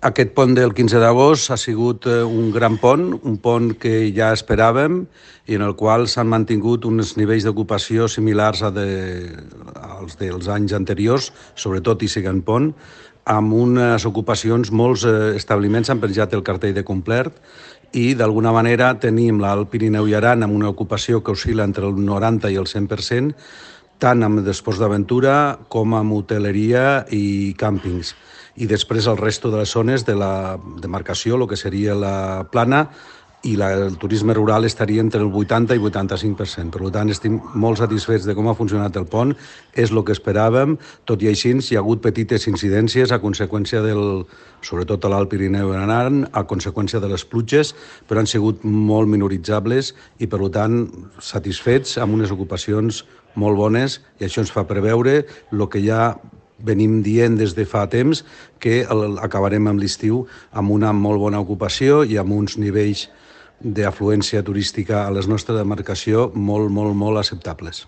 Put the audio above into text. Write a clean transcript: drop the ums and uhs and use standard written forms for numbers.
Aquest pont del 15 d'agost ha sigut un gran pont, un pont que ja esperàvem i en el qual s'han mantingut uns nivells d'ocupació similars als dels anys anteriors, sobretot i siguent pont, amb unes ocupacions, molts establiments han penjat el cartell de complert i d'alguna manera tenim l'Alt Pirineu i Aran amb una ocupació que oscil·la entre el 90 i el 100%, tant amb d'esports d'aventura com amb hoteleria i càmpings. I després el resto de les zones de la demarcació, el que seria la plana, i el turisme rural estaria entre el 80 i 85%. Per tant, estem molt satisfets de com ha funcionat el pont, és el que esperàvem, tot i així hi ha hagut petites incidències a conseqüència sobretot a l'Alt Pirineu i Aran, a conseqüència de les pluges, però han sigut molt minoritzables i, per tant, satisfets amb unes ocupacions molt bones, i això ens fa preveure el que ja venim dient des de fa temps, que acabarem amb l'estiu amb una molt bona ocupació i amb uns nivells d'afluència turística a la nostra demarcació molt acceptables.